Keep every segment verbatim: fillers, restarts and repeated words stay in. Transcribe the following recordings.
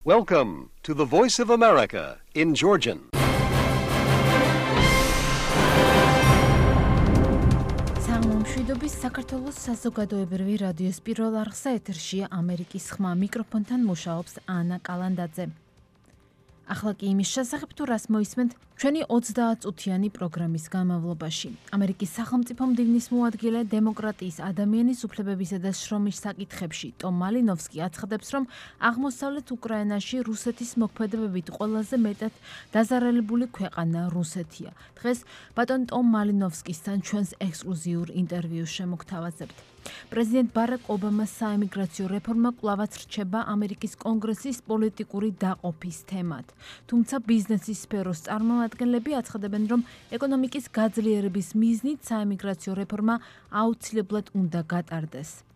Welcome to the Voice of America in Georgian. მშვიდობის საქართველოს საზოგადოებრივი რადიოს პირველ არხზე ეთერშია ამერიკის ხმა, მიკროფონთან მუშაობს ანა კალანდაძე. ახლა კი იმის შესახებ თუ რას მოისმენთ ჩვენი ოცდაათწუთიანი პროგრამის განმავლობაში. ამერიკის სახელმწიფო მდივნის მოადგილე დემოკრატიის ადამიანის უფლებებისა და შრომის საკითხებში ტომ მალინოვსკი აცხადებს, რომ აღმოსავლეთ უკრაინაში რუსეთის მოქმედებებით ყველაზე მეტად დაზარალებული ქვეყანა რუსეთია. დღეს ბატონ ტომ მალინოვსკისთან ჩვენს ექსკლუზიურ ინტერვიუს შემოგთავაზებთ. პრეზიდენტ ბარაკ ობამას საემიგრაციო რეფორმა კვლავაც რჩება ამერიკის კონგრესის პოლიტიკური დაყოფის თემად. თუმცა ბიზნესის სფეროს წარმომადგენლები აცხადებენ, რომ ეკონომიკის გაძლიერების მიზნით საემიგრაციო რეფორმა აუცილებლად უნდა გატარდეს.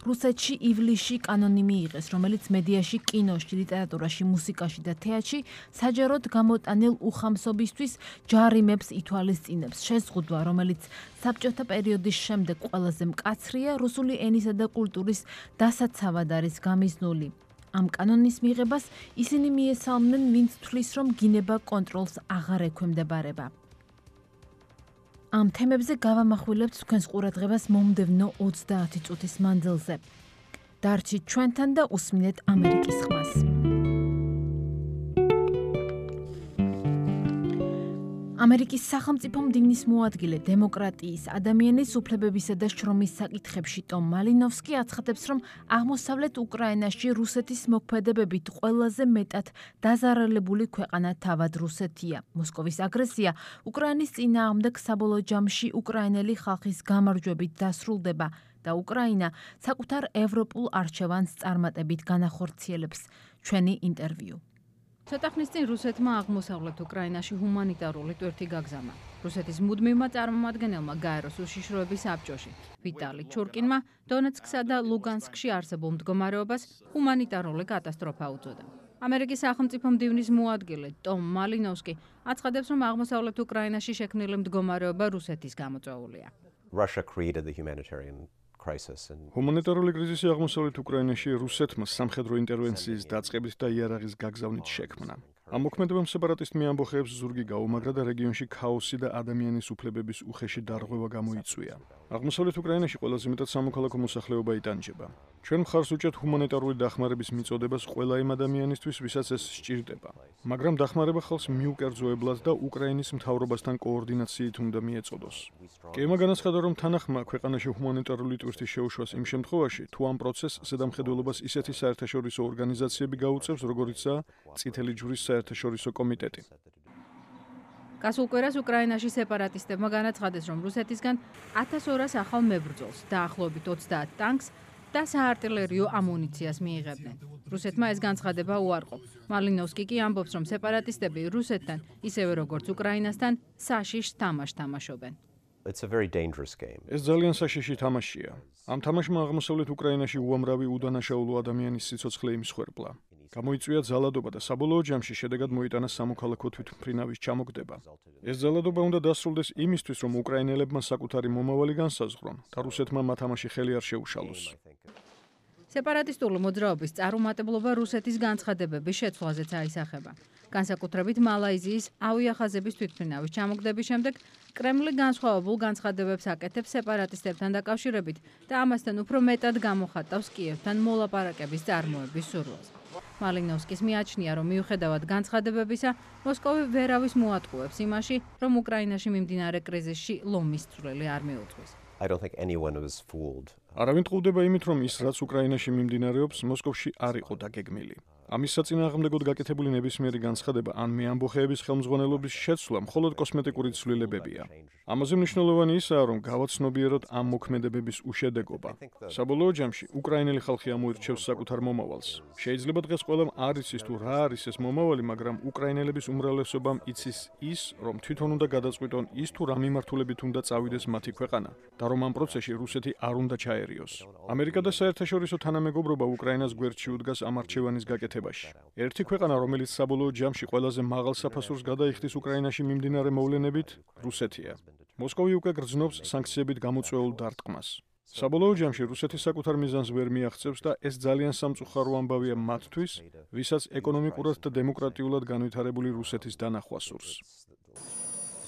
რუსეთში ივლისში კანონი მიიღეს, რომელიც მედიაში, კინოში, ლიტერატურაში, მუსიკაში და თეატრში საჯაროდ გამოტანილ უხამსობისთვის ჯარიმებს ითვალისწინებს. შეზღუდვა, რომელიც საბჭოთა პერიოდის შემდეგ ყველაზე მკაცრია, რუსული ენისა და კულტურის დასაცავად არის გამიზნული. ამ კანონის მიღებას ისინი მიესალმნენ, ვინც თვლის, რომ გინება კონტროლს აღარ ექვემდებარება. ამ თემებზე გავამახვილებთ თქვენს ყურადღებას მომდევნო ოცდაათი წუთის მანძილზე. დარჩით ჩვენთან და უსმინეთ ამერიკის ხმას. ამერიკის სახელმწიფო მდივნის მოადგილე დემოკრატიის, ადამიანის უფლებებისა და შრომის საკითხებში ტომ მალინოვსკი აცხადებს, რომ აღმოსავლეთ უკრაინაში რუსეთის მოქმედებებით ყველაზე მეტად დაზარალებული ქვეყანა თავად რუსეთია. მოსკოვის აგრესია უკრაინის წინააღმდეგ საბოლოო ჯამში უკრაინელი ხალხის გამარჯვებით დასრულდება და უკრაინა საკუთარ ევროპულ არჩევანს წარმატებით განახორციელებს. ჩვენი ინტერვიუ. ცოტა ხნის წინ რუსეთმა აღმოსავლეთ უკრაინაში ჰუმანიტარული ტვირთი გაგზავნა. რუსეთის მუდმივმა წარმომადგენელმა გაეროს უშიშროების საბჭოში ვიტალი ჩურკინმა დონეცკსა და ლუგანსკში არსებულ მდგომარეობას ჰუმანიტარული კატასტროფა უწოდა. ამერიკის სახელმწიფო მდივნის მოადგილე ტომ მალინოვსკი აცხადებს, რომ აღმოსავლეთ უკრაინაში შექმნილი მდგომარეობა რუსეთის გამოწვეულია. Russia created the humanitarian ჰუმანიტარული კრიზისი აღმოსავლეთ უკრაინაში რუსეთმა სამხედრო ინტერვენციის დაწყებით და იარაღის გაგზავნით შექმნა. ამ მოქმედებამ სეპარატისტ მეამბოხეებს ზურგი გაუმაგრა და რეგიონში ქაოსი და ადამიანის უფლებების უხეში დარღვევა გამოიწვია. აღმოსავლეთ უკრაინაში ყველაზე მეტად სამოქალაქო მოსახლეობა იტანჯება. ჩვენ მხარს უჭერთ ჰუმანიტარული დახმარების მიწოდებას ყველა იმ ადამიანისთვის, ვისაც ეს სჭირდება. მაგრამ დახმარება ხალხს მიუკერძოებლად და უკრაინის მთავრობასთან კოორდინაციით უნდა მიეწოდოს. კემა განაცხადა, რომ თანახმა ქვეყანაში ჰუმანიტარული ტვირთის შეუშვას იმ შემთხვევაში, თუ ამ პროცესს ზედამხედველობას ისეთი საერთაშორისო ორგანიზაციები გაუწევს, როგორიცაა წითელი ჯვრის საერთაშორისო კომიტეტი. გასულ კვირას უკრაინაში სეპარატისტებმა განაცხადეს, რომ რუსეთისგან ათას ორას ახალ მებრძოლს, დაახლოებით ოცდაათ ტანკს და საარტილერიო ამუნიციას მიიღებდნენ. რუსეთმა ეს განცხადება უარყო. მალინოვსკი კი ამბობს, რომ სეპარატისტები რუსეთთან, ისევე როგორც უკრაინასთან, საშიშს თამაშს თამაშობენ. It's a very dangerous game. ეს ძალიან საშიში თამაშია. ამ თამაშმა აღმოსავლეთ უკრაინაში უამრავი უდანაშაულო ადამიანის სიცოცხლე იმსხვერპლა. გამოიწვია ძალადობა და საბოლოო ჯამში შედეგად მოიტანა სამოქალაქო თვითმფრინავის ჩამოგდება. ეს ძალადობა უნდა დასრულდეს იმისთვის, რომ უკრაინელებმა საკუთარი მომავალი განსაზღვრონ და რუსეთმა მათ ამაში ხელი არ შეუშალოს. სეპარატისტული მოძრაობის წარუმატებლობა რუსეთის განცხადებების შეცვლაზეც აისახება. განსაკუთრებით მალაიზიის ავიახაზების თვითმფრინავის ჩამოგდების შემდეგ კრემლი განსხვავებულ განცხადებებს აკეთებს სეპარატისტებთან დაკავშირებით და ამასთან უფრო მეტად გამოხატავს კიევთან მოლაპარაკების წარმოების სურვილს. მალინოვსკის მიაჩნია, რომ მიუხედავად განცხადებებისა, მოსკოვი ვერავის მოატყუებს იმაში, რომ უკრაინაში მიმდინარე კრიზისში ლომის წვლილი არ მიუძღვის. I don't think anyone was fooled. არავინ ტყუდება იმით, რომ ის რაც უკრაინაში მიმდინარეობს, მოსკოვში არ იყო დაგეგმილი. ამის საწინააღმდეგოდ გაკეთებული ნებისმიერი განცხადება ან მეამბოხეების ხელმძღვანელობის შეცვლა მხოლოდ კოსმეტიკური ცვლილებებია. ამაზე მნიშვნელოვანი ისაა, რომ გავაცნობიეროთ ამ მოქმედებების უშედეგობა. საბოლოო ჯამში უკრაინელი ხალხი ამოირჩევს საკუთარ მომავალს. შეიძლება დღეს ყველამ არ იცის თუ რა არის ეს მომავალი, მაგრამ უკრაინელების უმრავლესობამ იცის ის, რომ თვითონ უნდა გადაწყვიტონ ის თუ რა მიმართულებით უნდა წავიდეს მათი ქვეყანა და რომ ამ პროცესში რუსეთი არ უნდა ჩაერიოს. ამერიკა და საერთაშორისო თანამეგობრობა უკრაინას გვერდში უდგას ამ არჩევანის გაკეთებაში. ერთი ქვეყანა, რომელიც საბოლოო ჯამში ყველაზე მაღალ საფასურს გადაიხდის უკრაინაში მიმდინარე მოვლენებით, რუსეთია. მოსკოვი უკვე გრძნობს სანქციებით გამოწვეულ დარტყმას. საბოლოო ჯამში რუსეთის საკუთარ მიზანს ვერ მიაღწევს და ეს ძალიან სამწუხარო ამბავია მათთვის, ვისაც ეკონომიკურად და დემოკრატიულად განვითარებული რუსეთის დანახვა სურს.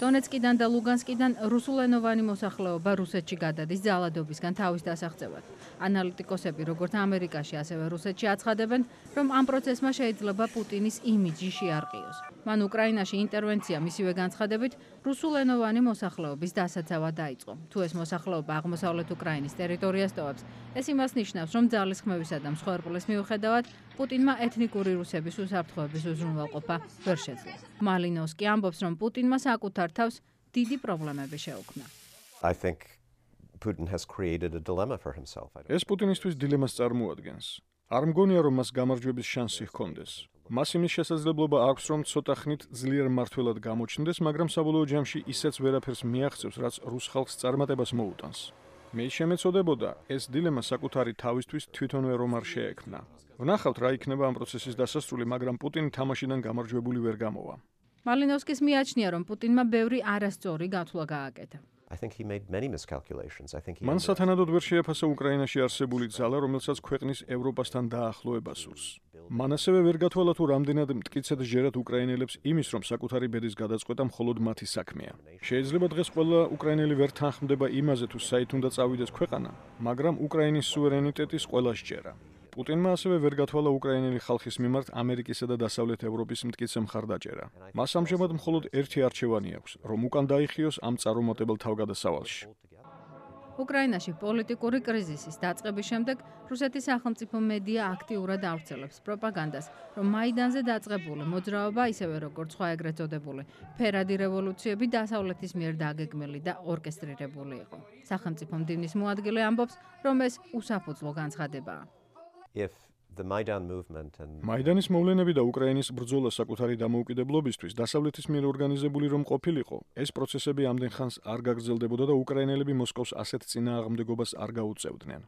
დონეცკიდან და ლუგანსკიდან რუსულენოვანი მოსახლეობა რუსეთში გადადის ძალადობისგან თავის დასაღწევად. ანალიტიკოსები როგორც ამერიკაში, ასევე რუსეთში აცხადებენ, რომ ამ პროცესმა შეიძლება პუტინის იმიჯი შეარყიოს. მან უკრაინაში ინტერვენცია მისივე განცხადებით რუსულენოვანი მოსახლეობის დასაცავად დაიწყო. თუ ეს მოსახლეობა აღმოსავლეთ უკრაინის ტერიტორიას ტოვებს, ეს იმას ნიშნავს, რომ ძალისხმევისა და მსხვერპლის მიუხედავად პუტინმა ეთნიკური რუსების უსაფრთხოების უზრუნველყოფა ვერ შეძლო. მალინოვსკი ამბობს, რომ პუტინმა საკუთარ თავს დიდი პრობლემები შეუქმნა. I think Putin has created a dilemma for himself. I don't ეს პუტინისთვის დილემას წარმოადგენს. არ მგონია, რომ მას გამარჯვების შანსი ჰქონდეს. მას იმის შესაძლებლობა აქვს, რომ ცოტა ხნით ძლიერ მმართველად გამოჩნდეს, მაგრამ საბოლოო ჯამში ისეც ვერაფერს მიაღწევს, რაც რუს ხალხს წარმატებას მოუტანს. მე შემეწოდებოდა, ეს დილემა საკუთარი თავისთვის თვითონვე რომ არ შეექმნა. ვნახავთ, რა იქნება ამ პროცესის დასასრული, მაგრამ პუტინი თამაშიდან გამარჯვებული ვერ გამოვა. მალინოვსკის მიაჩნია, რომ პუტინმა ბევრი არასწორი გათვლა გააკეთა. I think he made many miscalculations. I think he მან სათანადოდ ვერ შეაფასა უკრაინაში არსებული ძალა, რომელსაც ქვეყნის ევროპასთან დაახლოება სურს. მან ასევე ვერ გათვალა თუ რამდენად მტკიცედ ჟერათ უკრაინელებს იმის, რომ საკუთარი ბედის გადაწყვეტა მხოლოდ მათი საქმეა. შეიძლება დღეს ყველა უკრაინელი ვერ თანხმდება იმაზე, თუ საით უნდა წავიდეს ქვეყანა, მაგრამ უკრაინის სუვერენიტეტის ყველა სჯერა. პუტინმა ასევე ვერ გათვალა უკრაინელი ხალხის მიმართ ამერიკისა და დასავლეთ ევროპის მტკიცე მხარდაჭერა. მას ამჟამად მხოლოდ ერთი არჩევანი აქვს, რომ უკან დაიხიოს ამ წარუმატებელ თავგადასავალში. უკრაინაში პოლიტიკური კრიზისის დაწყების შემდეგ რუსეთის სახელმწიფო მედია აქტიურად ავრცელებს პროპაგანდას, რომ მაიდანზე დაწყებული მოძრაობა, ისევე როგორც სხვა ეგრეთ წოდებული ფერადი რევოლუციები დასავლეთის მიერ დაგეგმილი და ორკესტრირებული იყო. სახელმწიფო მდივნის მოადგილე ამბობს, რომ ეს უსაფუძვლო განცხადებაა. If the Maidan movement and მაიდანის მოვლენები და უკრაინის ბრძოლა საკუთარი დამოუკიდებლობისთვის დასავლეთის მიერ ორგანიზებული რომ ყოფილიყო, ეს პროცესები ამდენ ხანს არ გაგრძელდებოდა და უკრაინელები მოსკოვს ასეთ წინააღმდეგობას არ გაუწევდნენ.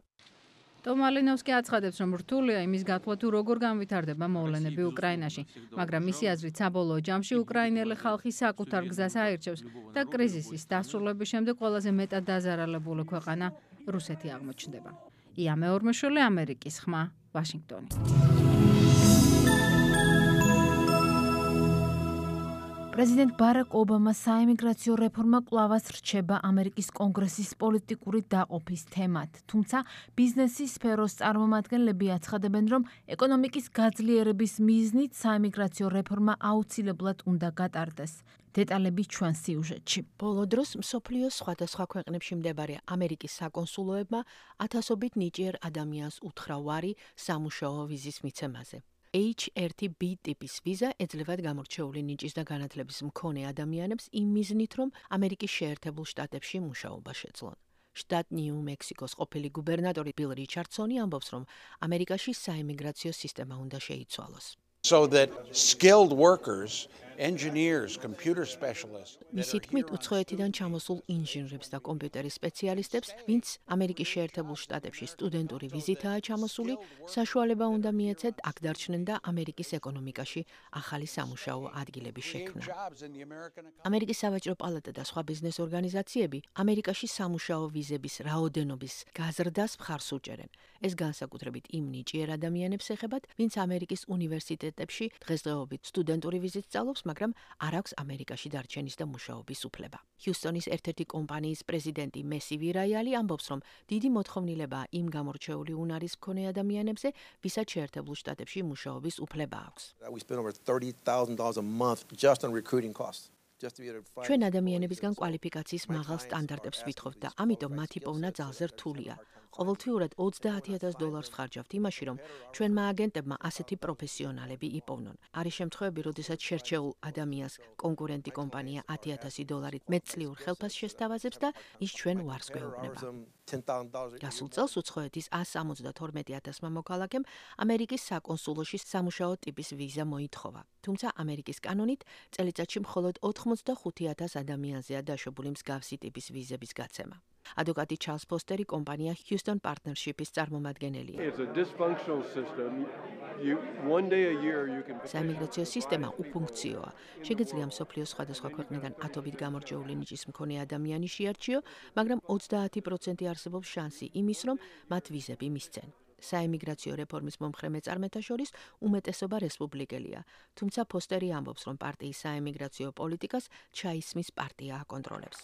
ტომ მალინოვსკი აცხადებს, რომ რთულია იმის გათვლა თუ როგორ განვითარდება მოვლენები უკრაინაში, მაგრამ მისი აზრით საბოლოო ჯამში უკრაინელი ხალხი საკუთარ გზას აირჩევს და კრიზისის დასრულების შემდეგ ყველაზე მეტად დაზარალებული ქვეყანა რუსეთი აღმოჩნდება. ია მეორმეშვილი, ამერიკის ხმა, ვაშინგტონი. პრეზიდენტ ბარაკ ობამას საიმიგრაციო რეფორმა კვლავაც რჩება ამერიკის კონგრესის პოლიტიკური დაყოფის თემად. თუმცა ბიზნესის სფეროს წარმომადგენლები აცხადებენ, რომ ეკონომიკის გაძლიერების მიზნით საიმიგრაციო რეფორმა აუცილებლად უნდა გატარდეს. დეტალები ჩვენ სიუჟეტში. ბოლო დროს მსოფლიოს სხვადასხვა ქვეყნებში მდებარე ამერიკის საკონსულოებმა ათასობით ნიჭიერ ადამიანს უთხრა ვარი სამუშაო ვიზის მიცემაზე. ეიჩ ერთი ბი ტიპის ვიზა ეძლევათ გამორჩეული ნიჭის და განათლების მქონე ადამიანებს იმ მიზნით, რომ ამერიკის შეერთებულ შტატებში მუშაობა შეძლონ. შტატ ნიუ-მექსიკოს ყოფილი გუბერნატორი ბილ რიჩარდსონი ამბობს, რომ ამერიკაში საიმიგრაციო სისტემა უნდა შეიცვალოს. So that skilled workers, engineers, computer specialists. მისი თქმით, უცხოეთიდან ჩამოსულ ინჟინრებს და კომპიუტერის სპეციალისტებს, ვინც ამერიკის შეერთებულ შტატებში სტუდენტური ვიზითაა ჩამოსული, საშუალება უნდა მიეცეთ აქ დარჩნენ და ამერიკის ეკონომიკაში ახალი სამუშაო ადგილები შექმნა. ამერიკის სავაჭრო პალატა და სხვა ბიზნეს ორგანიზაციები ამერიკაში სამუშაო ვიზების რაოდენობის გაზრდას მხარს უჭერენ. ეს განსაკუთრებით იმ ნიჭიერ ადამიანებს ეხებათ, ვინც ამერიკის უნივერსიტეტებში დღესდღეობით სტუდენტური ვიზით სწავლობს, მაგრამ არ აქვს ამერიკაში დარჩენის და მუშაობის უფლება. ჰიუსტონის ერთ-ერთი კომპანიის პრეზიდენტი მესი ვირაიალი ამბობს, რომ დიდი მოთხოვნილებაა იმ გამორჩეული უნარის მქონე ადამიანებზე, ვისაც შეერთებულ შტატებში მუშაობის უფლება აქვს. We spend over thirty thousand dollars a month just on recruiting costs. ჩვენ ადამიანებისგან კვალიფიკაციის მაღალ სტანდარტებს ვითხოვთ და ამიტომ მათი პოვნა ძალზე რთულია. ყოველთვიურად ოცდაათი ათას დოლარს ვხარჯავთ იმაში, რომ ჩვენმა აგენტებმა ასეთი პროფესიონალები იპოვნონ. არის შემთხვევები, როდესაც შერჩეულ ადამიანს კონკურენტი კომპანია ათი ათასი დოლარით მეტწლიურ ხელფასს შესთავაზებს და ის ჩვენ უარს გვეუბნება. გასულ წელს უცხოეთის ას სამოცდათორმეტი ათასმა მოქალაქემ ამერიკის საკონსულოში სამუშაო ტიპის ვიზა მოითხოვა. თუმცა ამერიკის კანონით წელიწადში მხოლოდ ოთხმოცდახუთი ათას ადამიანზეა დაშვებული მსგავსი ტიპის ვიზების გაცემა. ადვოკატი ჩარლს ფოსტერი კომპანია Houston Partnership-ის წარმომადგენელია. საიმიგრაციო სისტემა უფუნქციოა. შეგიძლია მსოფლიოს სხვადასხვა ქვეყნიდან ათობით გამორჩეული ნიჭის მქონე ადამიანი შეარჩიო, მაგრამ ოცდაათი პროცენტი არსებობს შანსი იმის, რომ მათ ვიზები მისცენ. საიმიგრაციო რეფორმის მომხრე მეწარმეთა შორის უმეტესობა რესპუბლიკელია, თუმცა ფოსტერი ამბობს, რომ პარტიის საიმიგრაციო პოლიტიკას ჩაისმის პარტია აკონტროლებს.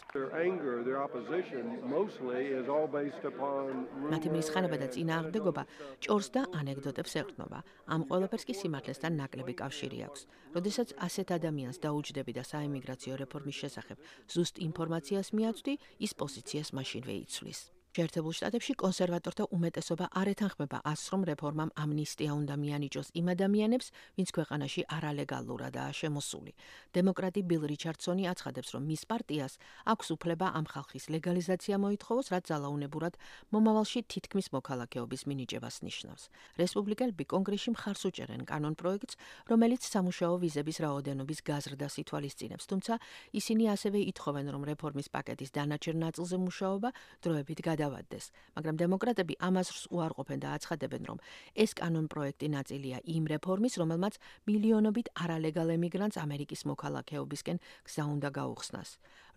მათი მრისხანება და წინააღმდეგობა ჭორს და ანეკდოტებს ეყრდნობა. ამ ყველაფერს კი სიმართლესთან ნაკლები კავშირი აქვს. როდესაც ასეთ ადამიანს დაუჯდები და საიმიგრაციო რეფორმის შესახებ ზუსტ ინფორმაციას მიაწვდი, ის პოზიციას მაშინვე იცვლის. შეერთებულ შტატებში კონსერვატორთა უმეტესობა არ ეთანხმება ას, რომ რეფორმამ ამნისტია უნდა მიანიჭოს იმ ადამიანებს, ვინც ქვეყანაში არალეგალურადაა შემოსული. დემოკრატი ბილ რიჩარდსონი აცხადებს, რომ მის პარტიას აქვს უფლება ამ ხალხის ლეგალიზაცია მოითხოვოს, რაც ძალაუნებურად მომავალში თითქმის მოქალაქეობის მინიჭებას ნიშნავს. რესპუბლიკელები კონგრესში მხარს უჭერენ კანონ პროექტს, რომელიც სამუშაო ვიზების რაოდენობის გაზრდას ითვალისწინებს, თუმცა ისინი ასევე ითხოვენ, რომ რეფორმის პაკეტის დანარჩენ ნაწილზე მუშაობა დროებით გადავადდეს, მაგრამ დემოკრატები ამას უარყოფენ და აცხადებენ, რომ ეს კანონ პროექტი ნაწილია იმ რეფორმის, რომელმაც მილიონობით არალეგალ ემიგრანტს ამერიკის მოქალაქეობისკენ გზა უნდა გაუხსნას.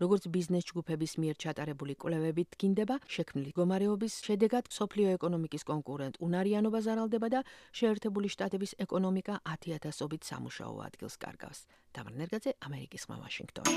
როგორც ბიზნეს ჯგუფების მიერ ჩატარებული კვლევებით დგინდება, შექმნილი მდგომარეობის შედეგად მსოფლიო ეკონომიკის კონკურენტ უნარიანობა ზარალდება და შეერთებული შტატების ეკონომიკა ათი ათასობით სამუშაო ადგილს კარგავს. თამარ ნერგაძე, ამერიკის ხმა, ვაშინგტონი.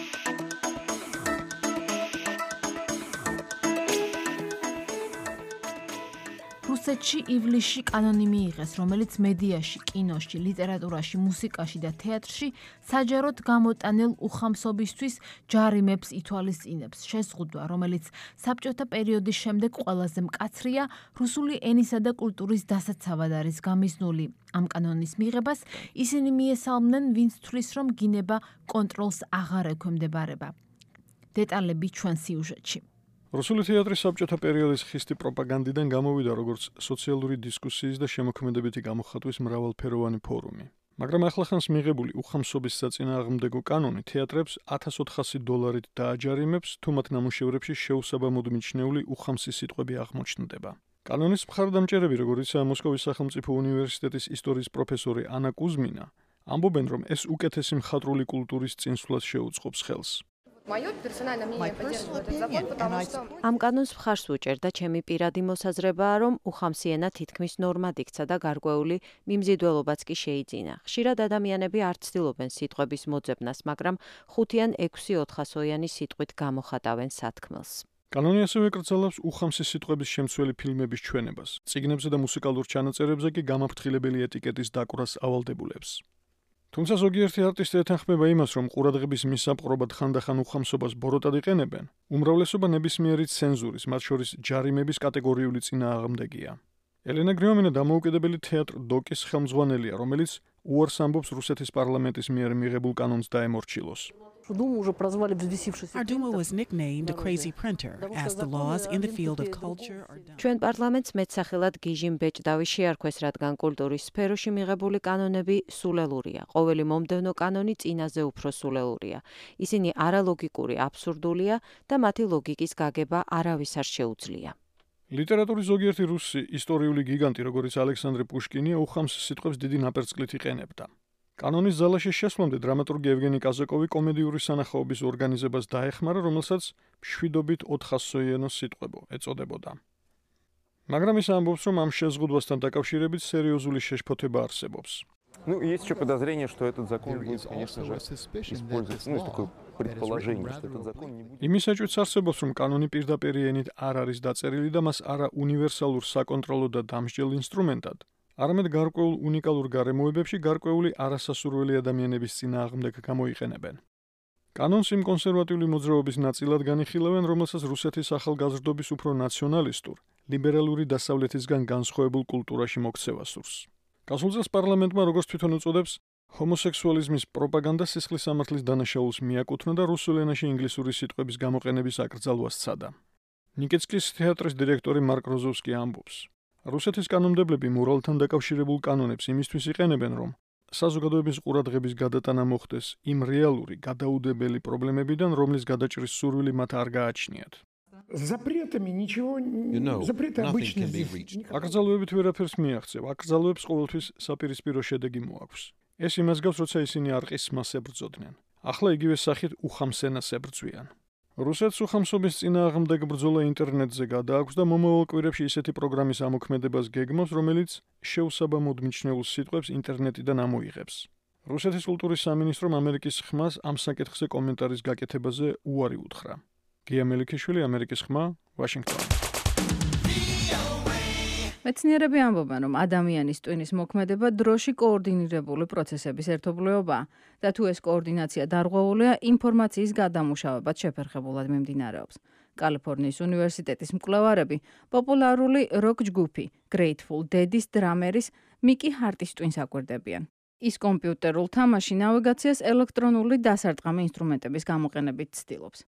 რუსეთში ივლისში კანონი მიიღეს, რომელიც მედიაში, კინოში, ლიტერატურაში, მუსიკაში და თეატრში საჯაროდ გამოტანილ უხამსობისთვის ჯარიმებს ითვალისწინებს. შეზღუდვა, რომელიც საბჭოთა პერიოდის შემდეგ ყველაზე მკაცრია, რუსული ენისა და კულტურის დასაცავად არის გამიზნული. ამ კანონის მიღებას ისინი მიესალმნენ, ვინც თვლის, რომ გინება კონტროლს აღარ ექვემდებარება. დეტალები ჩვენ სიუჟეტში. რუსული თეატრი საბჭოთა პერიოდის ხისტი პროპაგანდიდან გამოვიდა როგორც სოციალური დისკუსიის და შემოქმედებითი გამოხატვის მრავალფეროვანი ფორუმი. მაგრამ ახლახანს მიღებული უხამსობის საწინააღმდეგო კანონი თეატრებს ათას ოთხასი დოლარით დააჯარიმებს, თუ მათ ნამუშევრებში შეუსაბამოდ მიჩნეული უხამსი სიტყვები აღმოჩნდება. კანონის მხარდამჭერები, როგორიცაა მოსკოვის სახელმწიფო უნივერსიტეტის ისტორიის პროფესორი ანა კუზმინა, ამბობენ, რომ ეს უკეთესი მხატვრული კულტურის წინსვლას შეუწყობს ხელს. ამ კანონს მხარს ვუჭერ და ჩემი პირადი მოსაზრებაა, რომ უხამსი ენა თითქმის ნორმად იქცა და გარკვეული მიმზიდველობაც კი შეიძინა. ხშირად ადამიანები არ ცდილობენ სიტყვების მოძებნას, მაგრამ ხუთი ან ექვსი ოთხასოიანი სიტყვით გამოხატავენ სათქმელს. კანონი ასევე ეკრძალავს უხამსი სიტყვების შემცველი ფილმების ჩვენებას. წიგნებზე და მუსიკალურ ჩანაწერებზე კი გამაფრთხილებელი ეტიკეტის დაკვრას ავალდებულებს. თუმცა ზოგიერთი არტისტი ეთანხმება იმას, რომ ყურადღების მისაპყრობად ხანდახან უხამსობას ბოროტად იყენებენ, უმრავლესობა ნებისმიერი ცენზურის, მათ შორის ჯარიმების კატეგორიული წინააღმდეგია. ელენა გრიომინა დამოუკიდებელი თეატრ დოკის ხელმძღვანელია, რომელიც უარს ამბობს რუსეთის პარლამენტის მიერ მიღებულ კანონს დაემორჩილოს. Our Duma was nicknamed a crazy printer, as the laws in the field of culture are done. ჩვენ პარლამენტს მეტსახელად გიჟიმ ბეჭდავი შეარქვეს, რადგან კულტურის სფეროში მიღებული კანონები სულელურია. ყოველი მომდევნო კანონი წინაზე უფრო სულელურია. ისინი არალოგიკური, აბსურდულია და მათი ლოგიკის გაგება არავის არ შეუძლია. ლიტერატურის ზოგიერთი რუსი ისტორიული გიგანტი, როგორც ალექსანდრე პუშკინია, უხამს სიტყვებს დიდი ნაპერწკლით იყენებდა. კანონის ზალაში შესვლამდე დრამატურგი ევგენი კაზაკოვი კომედიური სანახაობის ორგანიზებას დაეხმარა, რომელსაც მშვიდობით ოთხასოიანო სიტყვებო ეწოდებოდა. მაგრამ ის ამბობს, რომ ამ შეზღუდვასთან დაკავშირებით სერიოზული შეშფოთება არსებობს. Ну, есть еще подозрение, что этот закон будет, конечно же, использоваться, ну, есть такое предположение, что этот закон не будет. იმის ეჭვიც არსებობს, რომ კანონი პირდაპირ ენით არ არის დაწერილი და მას არა უნივერსალურ საკონტროლო და დამსჯელ ინსტრუმენტად, არამედ გარკვეულ უნიკალურ გარემოებებში გარკვეული არასასურველი ადამიანების წინააღმდეგ გამოიყენებენ. კანონს იმ კონსერვატიული მოძრაობის ნაწილად განიხილავენ, რომელსაც რუსეთის ახალგაზრდობის უფრო ნაციონალისტურ, ლიბერალური დასავლეთისგან განსხვავებულ კულტურაში მოქცევა სურს. გასულ წელს პარლამენტმა, როგორც თვითონ უწოდებს, ჰომოსექსუალიზმის პროპაგანდა სისხლის სამართლის დანაშაულს მიაკუთვნა და რუსულ ენაში ინგლისური სიტყვების გამოყენების აკრძალვას სცადა. ნიკეცკის თეატრის დირექტორი მარკ როზოვსკი ამბობს, რუსეთის კანონმდებლები მორალთან დაკავშირებულ კანონებს იმისთვის იყენებენ, რომ საზოგადოების ყურადღების გადატანა მოხდეს იმ რეალური, გადაუდებელი პრობლემებიდან, რომლის გადაჭრის სურვილი მათ არ გააჩნიათ. запретами ничего запреты обычно здесь. აკრძალვებით ვერაფერს მიაღწევ. აკრძალვებს ყოველთვის საპირისპირო შედეგი მოაქვს. ეს იმას გავს, როცა ისინი არყის მას ებრძოდნენ. ახლა იგივე სახით უხამსენას ებრძვიან. რუსეთს უხამსობის წინააღმდეგ ბრძოლა ინტერნეტზე გადააქვს და მომავალ კვირებში ისეთი პროგრამის ამოქმედებას გეგმავს, რომელიც შეუსაბამოდ მიჩნეულ სიტყვებს ინტერნეტიდან ამოიღებს. რუსეთის კულტურის სამინისტრომ ამერიკის ხმას ამ საკითხზე კომენტარის გაკეთებაზე უარი უთხრა. გია მელიქიშვილი, ამერიკის ხმა, ვაშინგტონი. მეცნიერები ამბობენ, რომ ადამიანის ტვინის მოქმედება დროში კოორდინირებული პროცესების ერთობლიობაა და თუ ეს კოორდინაცია დარღვეულია, ინფორმაციის გადამუშავებაც შეფერხებულად მიმდინარეობს. კალიფორნიის უნივერსიტეტის მკვლევარები პოპულარული როკ ჯგუფი Grateful Dead-ის დრამერის მიკი ჰარტის ტვინს აკვირდებიან. ის კომპიუტერულ თამაში ნავიგაციას ელექტრონული დასარტყამი ინსტრუმენტების გამოყენებით ცდილობს.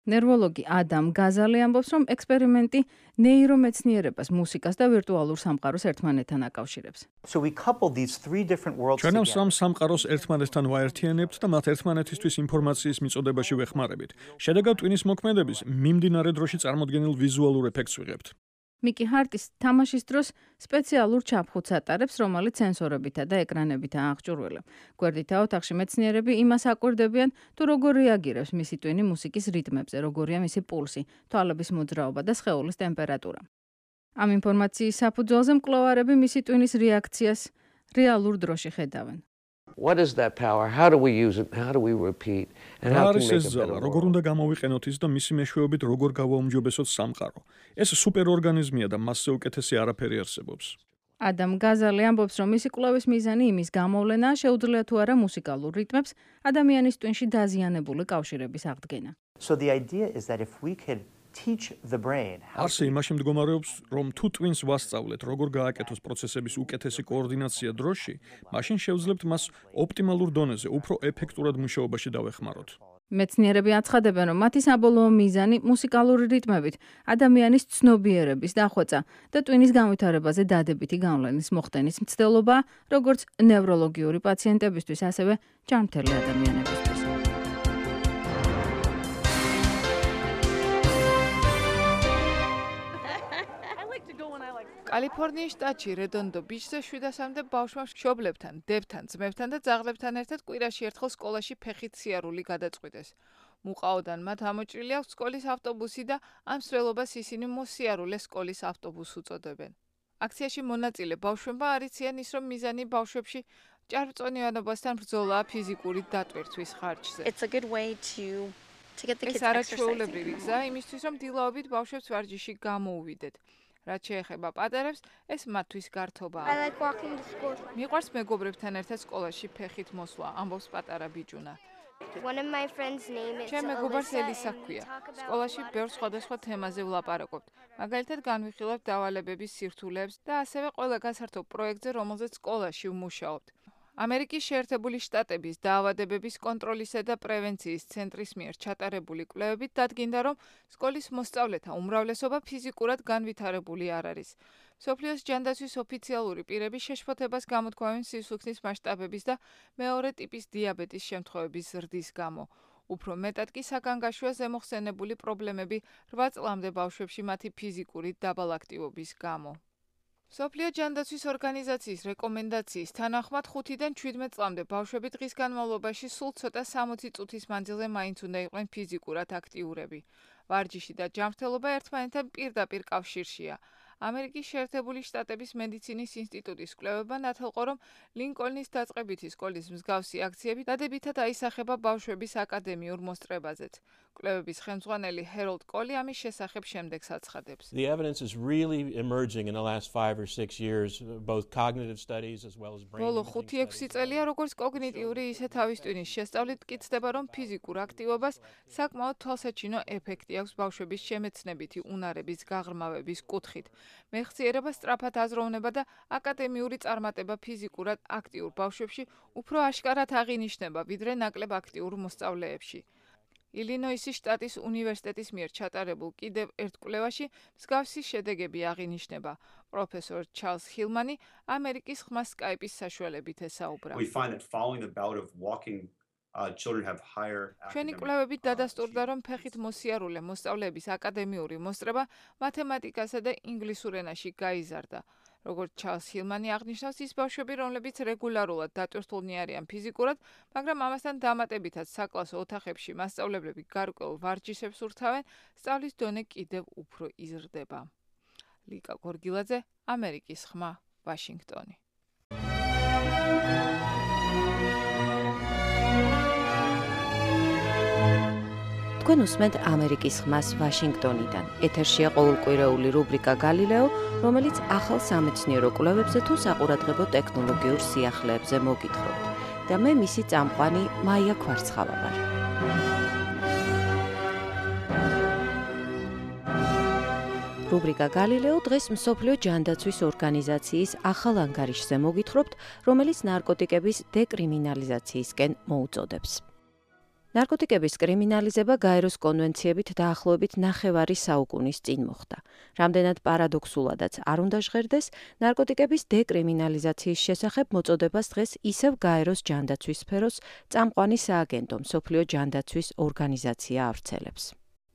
ნევროლოგი ადამ გაზალი ამბობს, რომ ექსპერიმენტი ნეირომეცნიერებას, მუსიკას და ვირტუალურ სამყაროს ერთმანეთთან აკავშირებს. ჩვენ ამ სამ სამყაროს ერთმანეთთან ვაერთიანებთ და მათ ერთმანეთისთვის ინფორმაციის მიწოდებაში ვეხმარებით. შედეგად ტვინის მოქმედების მიმდინარე დროში წარმოდგენილ ვიზუალურ ეფექტს ვიღებთ. მიკი ჰარტის თამაშის დროს სპეციალურ ჩაფხუტს ატარებს, რომელიც სენსორებითა და ეკრანებითაა აღჭურვილი. გვერდითა ოთახში მეცნიერები იმას აკვირდებიან, თუ როგორ რეაგირებს მისი ტვინი მუსიკის რიტმებზე, როგორია მისი პულსი, თვალების მოძრაობა და სხეულის ტემპერატურა. ამ ინფორმაციის საფუძველზე მკვლევარები მისი ტვინის რეაქციას რეალურ დროში ხედავენ. What is that power? How do we use it? How do we repeat? And how can we make it better? როგორ უნდა გამოვიყენოთ ის და მისი მეშვეობით როგორ გავაუმჯობესოთ სამყარო. ეს სუპერორგანიზმია და მასზე უკეთესი არაფერი არსებობს. ადამ გაზალი ამბობს, რომ მისი კვლევის მიზანი იმის გამოვლენაა, შეუძლია თუ არა მუსიკალურ რიტმებს ადამიანის ტვინში დაზიანებული კავშირების აღდგენა. So the idea is that if we could teach the brain არსი იმაში მდგომარეობს, რომ თუ ტვინს ვასწავლეთ, როგორ გააკეთოს პროცესების უკეთესი კოორდინაცია დროში, მაშინ შევძლებთ მას ოპტიმალურ დონეზე, უფრო ეფექტურად მუშაობაში დავეხმაროთ. მეცნიერები აცხადებენ, რომ მათი საბოლოო მიზანი მუსიკალური რიტმებით ადამიანის ცნობიერების დახვეწა და ტვინის განვითარებაზე დადებითი გავლენის მოხდენის მცდელობა, როგორც ნევროლოგიური პაციენტებისთვის, ასევე ჯანმრთელი ადამიანებისთვის. კალიფორნიის შტატში რედონდო ბიჩზე შვიდასამდე ბავშვმა მშობლებთან, დებთან, ძმებთან და ძაღლებთან ერთად კვირაში ერთხელ სკოლაში ფეხით სიარული გადაწყვიტეს. მუყაოდან მათ ამოჭრილი აქვს სკოლის ავტობუსი და ამ მსვლელობას ისინი მოსიარულე სკოლის ავტობუსს უწოდებენ. აქციაში მონაწილე ბავშვებმა არიციან ის, რომ მიზანი ბავშვებში ჭარბწონიანობასთან ბრძოლაა ფიზიკური დატვირთვის ხარჯზე. ეს არაჩვეულებრივი გზა იმისთვის, რომ დილაობით ბავშვებს ვარჯიში გამოუვიდეთ. რაც შეეხება პატარებს, ეს მათთვის გართობაა. მიყვარს მეგობრებთან ერთად სკოლაში ფეხით მოსვლა, ამბობს პატარა ბიჭუნა. ჩემ მეგობარს ელისა ჰქვია. სკოლაში ბევრ სხვადასხვა თემაზე ვლაპარაკობთ. მაგალითად განვიხილავთ დავალებების სირთულეებს და ასევე ყველა გასართობ პროექტზე, რომელზეც სკოლაში ვმუშაობთ. ამერიკის შეერთებული შტატების დაავადებების კონტროლისა და პრევენციის ცენტრის მიერ ჩატარებული კვლევებით დადგინდა, რომ სკოლის მოსწავლეთა უმრავლესობა ფიზიკურად განვითარებული არ არის. მსოფლიოს ჯანდაცვის ოფიციალური პირები შეშფოთებას გამოთქვამენ სისხლის მასშტაბების და მეორე ტიპის დიაბეტის შემთხვევების ზრდის გამო. უფრო მეტად კი საგანგაშოა ზემოხსენებული პრობლემები რვა წლამდე ბავშვებში მათი ფიზიკური დაბალაქტივობის გამო. მსოფლიო ჯანდაცვის ორგანიზაციის რეკომენდაციის თანახმად ხუთიდან შვიდმეტ წლამდე ბავშვები დღის განმავლობაში სულ ცოტა სამოცი წუთის მანძილზე მაინც უნდა იყვნენ ფიზიკურად აქტიურები. ვარჯიში და ჯანმრთელობა ერთმანეთთან პირდაპირ კავშირშია. ამერიკის შეერთებული შტატების მედიცინის ინსტიტუტის კვლევებმა ნათელყო, რომ ლინკოლნის დაწყებითი სკოლის მსგავსი აქციები დადებითად აისახება ბავშვების აკადემიურ მოსწრებაზეც. კვლევების ხელმძღვანელი ჰეროლდ კოლი ამის შესახებ შემდეგს აცხადებს. The evidence is really emerging in the last five or six years, both cognitive studies as well as brain. ბოლო ხუთი ექვსი წელია, როგორც კოგნიტიური, ისე თავის ტვინის შესწავლით მტკიცდება, რომ ფიზიკურ აქტივობას საკმაოდ თვალსაჩინო ეფექტი აქვს ბავშვების შემეცნებითი უნარების გაღრმავების კუთხით. მეხსიერება სწრაფად აზროვნება და აკადემიური წარმატება ფიზიკურად აქტიურ ბავშვებში უფრო აშკარად აღინიშნება, ვიდრე ნაკლებ აქტიურ მოსწავლეებში. ილინოისის შტატის უნივერსიტეტის მიერ ჩატარებულ კიდევ ერთ კვლევაში მსგავსი შედეგები აღინიშნება. პროფესორ ჩარლზ ჰილმანი ამერიკის ხმა სკაიპის საშუალებით ესაუბრა. We find that following the bout of walking ჩვენი კვლევებით დადასტურდა, რომ ფეხით მოსიარულე მოსწავლეების აკადემიური მოსწრება მათემატიკასა და ინგლისურ ენაში გაიზარდა. როგორც ჩარლს ჰილმანი აღნიშნავს, ის ბავშვები, რომლებიც რეგულარულად დატვირთულნი არიან ფიზიკურად, მაგრამ ამასთან დამატებითაც საკლასო ოთახებში მასწავლებლები გარკვეულ ვარჯიშებს ურთავენ, სწავლის დონე კიდევ უფრო იზრდება. ლიკა გორგილაძე, ამერიკის ხმა, ვაშინგტონი. თქვენ უსმენთ ამერიკის ხმას ვაშინგტონიდან. ეთერშია ყოველკვირეული რუბრიკა გალილეო, რომელიც ახალ სამეცნიერო კვლევებზე თუ საყურადღებო ტექნოლოგიურ სიახლეებზე მოგითხრობთ. და მე მისი წამყვანი მაია ქვარცხავა ვარ. რუბრიკა გალილეო დღეს მსოფლიო ჯანდაცვის ორგანიზაციის ახალ ანგარიშზე მოგითხრობთ, რომელიც ნარკოტიკების დეკრიმინალიზაციისკენ მოუწოდებს. ნარკოტიკების კრიმინალიზება გაეროს კონვენციებით დაახლოებით ნახევარი საუკუნის წინ მოხდა. რამდენად პარადოქსულადაც არ უნდა ჟღერდეს, ნარკოტიკების დეკრიმინალიზაციის შესახებ მოწოდებას დღეს ისევ გაეროს ჯანდაცვის სფეროს წამყვანი სააგენტო მსოფლიო ჯანდაცვის ორგანიზაცია ავრცელებს.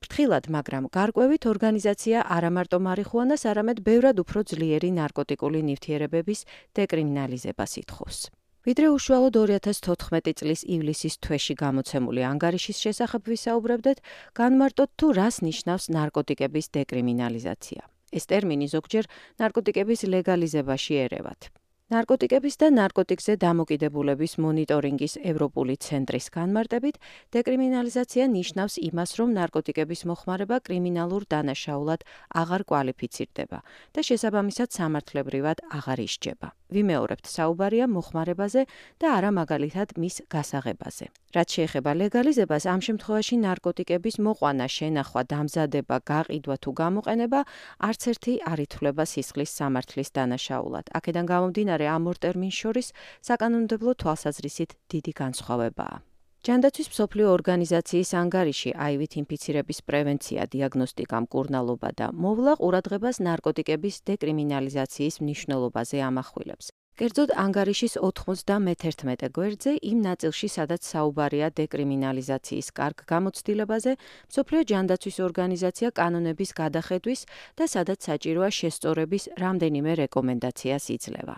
ფრთხილად, მაგრამ გარკვევით ორგანიზაცია არა მარტო მარიხუანას, არამედ ბევრად უფრო ძლიერი ნარკოტიკული ნივთიერებების დეკრიმინალიზებას ითხოვს. ვიდრე უშუალოდ ორი ათას თოთხმეტი წლის ივლისის თვეში გამოცემული ანგარიშის შესახებ ვისაუბრებდეთ, განმარტოთ თუ რას ნიშნავს ნარკოტიკების დეკრიმინალიზაცია. ეს ტერმინი ზოგჯერ ნარკოტიკების ლეგალიზებაში ერევათ. ნარკოტიკების და ნარკოტიკზე დამოკიდებულების მონიტორინგის ევროპული ცენტრის განმარტებით, დეკრიმინალიზაცია ნიშნავს იმას, რომ ნარკოტიკების მოხმარება კრიმინალურ დანაშაულად აღარ კვალიფიცირდება და შესაბამისად სამართლებრივად აღარ ისჯება. ვიმეორებთ, საუბარია მოხმარებაზე და არა მაგალითად მის გასაღებაზე. რაც შეეხება ლეგალიზებას, ამ შემთხვევაში ნარკოტიკების მოყვანა, შენახვა, დამზადება, გაყიდვა თუ გამოყენება არც ერთი არ ითვლება სისხლის სამართლის დანაშაულად. აქედან გამომდინარე, ამ ორ ტერმინს შორის საკანონმდებლო თვალსაზრისით დიდი განსხვავებაა. ჯანდაცვის მსოფლიო ორგანიზაციის ანგარიში აივით ინფიცირების პრევენცია, დიაგნოსტიკა, მკურნალობა და მოვლა ყურადღებას ნარკოტიკების დეკრიმინალიზაციის მნიშვნელობაზე ამახვილებს. კერძოდ ანგარიშის ოთხმოცდამეთერთმეტე გვერდზე იმ ნაწილში, სადაც საუბარია დეკრიმინალიზაციის კარგ გამოცდილებაზე, მსოფლიო ჯანდაცვის ორგანიზაცია კანონების გადახედვის და სადაც საჭიროა შესწორების რამდენიმე რეკომენდაციას იძლევა.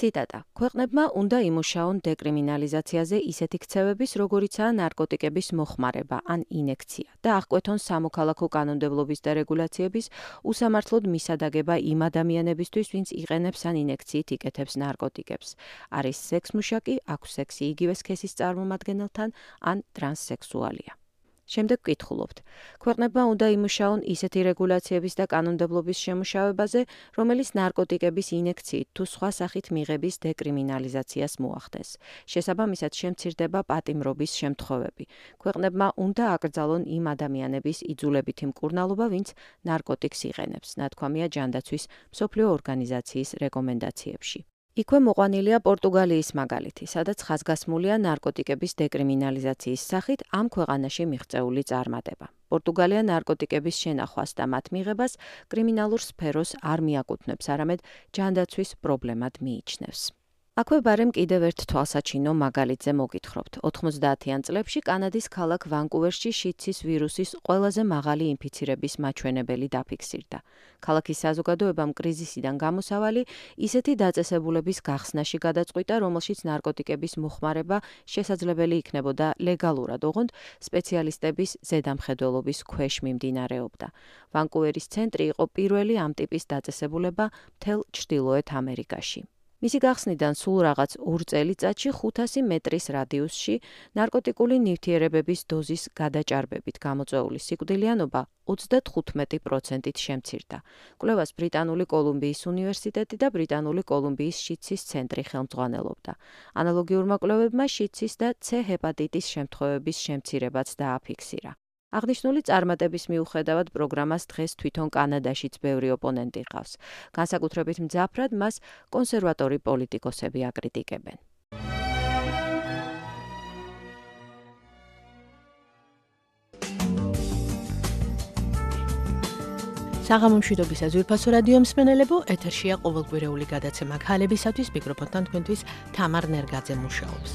ციტატა: ქვეყნებმა უნდა იმუშაონ დეკრიმინალიზაციაზე ისეთი ქცევების, როგორიცაა ნარკოტიკების მოხმარება ან ინექცია და აღკვეთონ სამოქალაქო კანონმდებლობის და რეგულაციების უსამართლოდ მისადაგება იმ ადამიანებისთვის, ვინც იყენებს ან ინექციით იკეთებს ნარკოტიკებს. არის სექსმუშაკი, აქვს სექსი იგივე სქესის წარმომადგენელთან ან ტრანსსექსუალია. შემდეგ ვკითხულობთ. ქვეყნებმა უნდა იმუშაონ ისეთი რეგულაციების და კანონმდებლობის შემუშავებაზე, რომელიც ნარკოტიკების ინექციით თუ სხვა სახით მიღების დეკრიმინალიზაციას მოახდენს. შესაბამისად შემცირდება პატიმრობის შემთხვევები. ქვეყნებმა უნდა აკრძალონ იმ ადამიანების იძულებითი მკურნალობა, ვინც ნარკოტიკს იყენებს, ნათქვამია ჯანდაცვის მსოფლიო ორგანიზაციის რეკომენდაციებში. იქვე მოყვანილია პორტუგალიის მაგალითი, სადაც ხაზგასმულია ნარკოტიკების დეკრიმინალიზაციის სახით ამ ქვეყანაში მიღწეული წარმატება. პორტუგალია ნარკოტიკების შენახვას და მათ მიღებას კრიმინალურ სფეროს არ მიაკუთვნებს, არამედ ჯანდაცვის პრობლემად მიიჩნევს. აქვე ბარემ კიდევ ერთ თვალსაჩინო მაგალითზე მოგითხრობთ. ოთხმოცდაათიან წლებში კანადის ქალაქ ვანკუვერში შიდსის ვირუსის ყველაზე მაღალი ინფიცირების მაჩვენებელი დაფიქსირდა. ქალაქის საზოგადოებამ კრიზისიდან გამოსავალი ისეთი დაწესებულების გახსნაში გადაწყვიტა, რომელშიც ნარკოტიკების მოხმარება შესაძლებელი იქნებოდა ლეგალურად, ოღონდ სპეციალისტების ზედამხედველობის ქვეშ მიმდინარეობდა. ვანკუვერის ცენტრი იყო პირველი ამ ტიპის დაწესებულება მთელ ჩრდილოეთ ამერიკაში. მისი გახსნიდან სულ რაღაც ორ წელიწადში ხუთასი მეტრის რადიუსში ნარკოტიკული ნივთიერებების დოზის გადაჭარბებით გამოწვეული სიკვდილიანობა ოცდათხუთმეტი პროცენტით შემცირდა. კვლევას ბრიტანული კოლუმბიის უნივერსიტეტი და ბრიტანული კოლუმბიის შიდსის ცენტრი ხელმძღვანელობდა. ანალოგიურმა კვლევებმა შიდსის და C ჰეპატიტის შემთხვევების შემცირებაც დააფიქსირა. აღნიშნული წარმატების მიუხედავად პროგრამას დღეს თვითონ კანადაშიც ბევრი ოპონენტი ყავს. განსაკუთრებით მძაფრად მას კონსერვატორი პოლიტიკოსები აკრიტიკებენ. საღამომშვიდობის ზურფასო რადიო მსმენელებო, ეთერშია ყოველკვირეული გადაცემა ქალებისათვის, მიკროფონთან თქვენთვის თამარ ნერგაძე მუშაობს.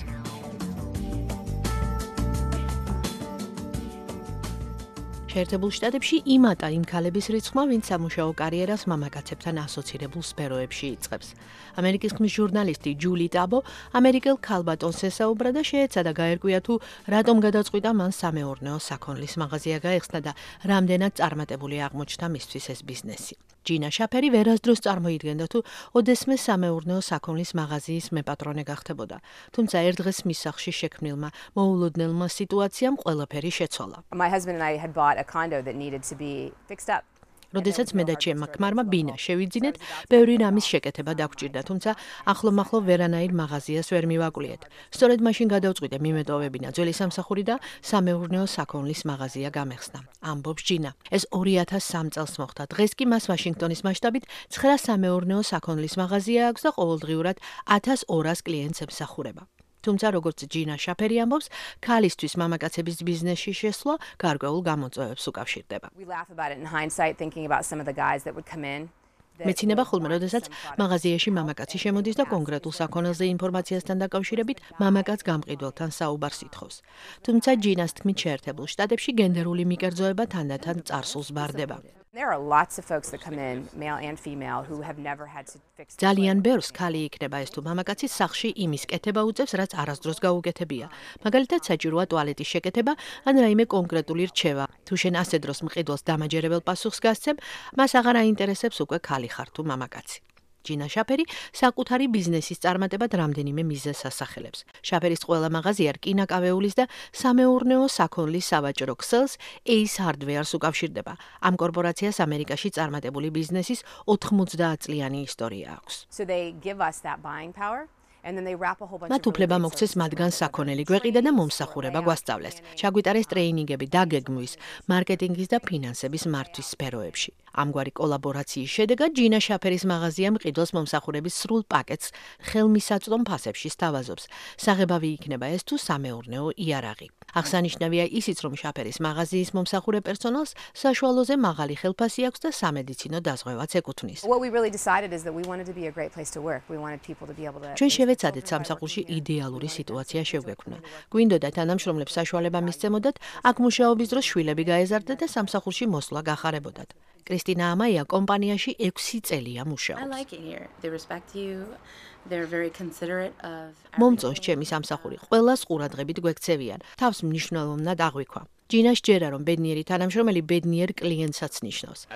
შეერთებულ შტატებში იმატა იმ ქალების რიცხვმა, ვინც სამუშაო კარიერას მამაკაცებთან ასოცირებულ სფეროებში იწყებს. ამერიკის ხმის ჟურნალისტი ჯული ტაბო ამერიკელ ქალბატონს ესაუბრა და შეეცადა გაერკვია თუ რატომ გადაწყვიტა მან სამეურნეო საქონლის მაღაზია გაეხსნა და რამდენად წარმატებული აღმოჩნდა მისთვის ეს ბიზნესი. ჯინა შაფერი ვერასდროს წარმოიდგენდა თუ ოდესმე სამეურნეო საქონლის მაღაზიის მეპატრონე გახდებოდა. თუმცა ერთ დღეს მის სახლში შექმნილმა მოულოდნელმა სიტუაციამ ყველაფერი შეცვალა. My husband and I had bought a condo that needed to be fixed up. როდესაც მე და ჩემმა ქმარმა ბინა შევიძინეთ, ბევრი რამის შეკეთება დაგვჭირდა, თუმცა ახლო-მახლო ვერანაირ მაღაზიას ვერ მივაკვლიეთ. სწორედ მაშინ გადავწყვიტე მიმეტოვებინა ძველი სამსახური და სამეურნეო საქონლის მაღაზია გამეხსნა. ამბობს ჯინა. ეს ორი ათას სამი წელს მოხდა. დღეს კი მას ვაშინგტონის მასშტაბით ცხრა სამეურნეო საქონლის მაღაზია აქვს და ყოველდღიურად ათას ორას კლიენტს ემსახურება. თუმცა როგორც ჯინა შაფერი ამბობს, ქალისთვის მამაკაცების ბიზნესში შესვლა გარკვეულ გამოწვევებს უკავშირდება. მეცინება ხოლმე, როდესაც მაღაზიაში მამაკაცი შემოდის და კონკრეტულ საქონელზე ინფორმაციასთან დაკავშირებით მამაკაც გამყიდველთან საუბარს ითხოვს. თუმცა ჯინას თქმით შეერთებულ შტატებში გენდერული მიკერძოება თანდათან წარსულს ბარდება. There are lots of folks that come in, male and female, who have never had to fix. ძალიან ბევრს ქალი იქნება ეს თუ მამაკაცი სახლში იმის კეთება უწევს, რაც არასდროს გაუკეთებია. მაგალითად, საჭიროა ტუალეტის შეკეთება ან რაიმე კონკრეტული რჩევა. თუ შენ ასე დროს მყიდველს დამაჯერებელ პასუხს გასცემ, მას აღარ აინტერესებს უკვე ქალი ხარ თუ მამაკაცი. ჯინა შაფერი საკუთარი ბიზნესის წარმატებად რამდენიმე მიზეზს ასახელებს. შაფერის ყველა მაღაზია რკინაკავეულის და სამეურნეო საქონლის სავაჭრო ქსელს Ace Hardware-ს უკავშირდება. ამ კორპორაციას ამერიკაში წარმატებული ბიზნესის ოთხმოცდაათ წლიანი ისტორია აქვს. So they give us that buying power. მათ უფლება მოგცეს მათგან საქონელი გვეყიდა და მომსახურება გვასწავლეს. ჩაგვიტარეს ტრეინინგები დაგეგმვის, მარკეტინგის და ფინანსების მართვის სფეროებში. ამგვარი კოლაბორაციის შედეგად ჯინა შაფერის მაღაზია მყიდველს მომსახურების სრულ პაკეტს ხელმისაწვდომ ფასებში სთავაზობს. საღებავი იქნება ეს თუ სამეურნეო იარაღი. აღსანიშნავია ისიც, რომ შაფერის მაღაზიის მომსახურე პერსონალს საშუალოზე მაღალი ხელფასი აქვს და სამედიცინო დაზღვევაც ეკუთვნის. ჩვენ შევეცადეთ სამსახურში იდეალური სიტუაცია შევგექმნა. გვინდოდა თანამშრომლებს საშუალება მისცემოდათ, აქ მუშაობის დროს შვილები გაეზარდათ და სამსახურში მოსვლა გახარებოდათ. კრისტინა ამაია კომპანიაში ექვსი წელია მუშაობს. მომწონს ჩემი სამსახური, ყველას ყურადღებით გვექცევიან, თავს მნიშვნელოვნად აღვიქვა. ჯინას ჯერა რომ ბედნიერი თანამშრომელი ბედნიერ კლიენტსაც ნიშნავს.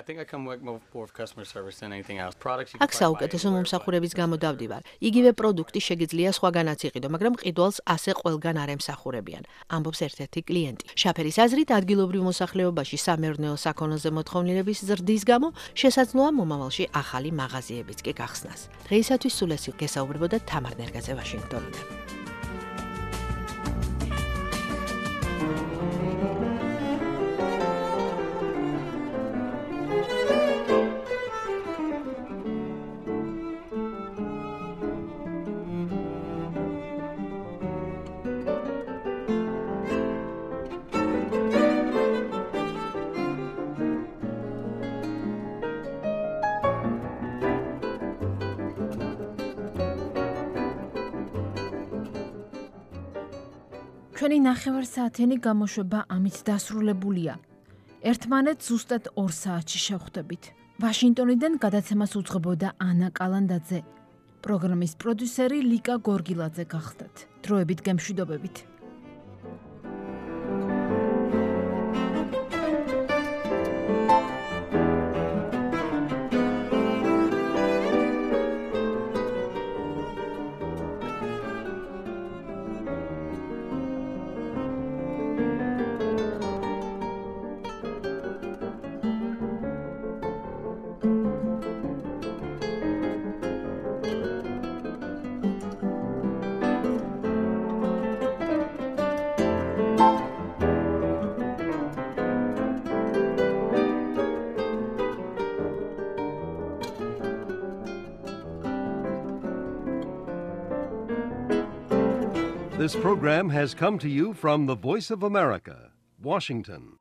აქ საუკეთესო მომსახურების გამო დავდივარ. იგივე პროდუქტი შეგიძლია სხვაგანაც იყიდო, მაგრამ ყიდვალს ასე ყველგან არ ემსახურებიან, ამბობს ერთ-ერთი კლიენტი. შაფერის აზრით ადგილობრივ მოსახლეობაში სამეურნეო საქონელზე მოთხოვნილების ზრდის გამო შესაძლოა მომავალში ახალი მაღაზიებიც კი გახსნას. დღეისათვის სულ ეს გესაუბრებოდა თამარ ნერგაძე ვაშინგტონიდან. ჩვენი ნახევარსაათიანი გამოშვება ამით დასრულებულია. ერთმანეთს ზუსტად ორ საათში შევხვდებით. ვაშინგტონიდან გადაცემას უძღვებოდა ანა კალანდაძე. პროგრამის პროდიუსერი ლიკა გორგილაძე გახდათ. დროებით გემშვიდობებით. This program has come to you from the Voice of America, Washington.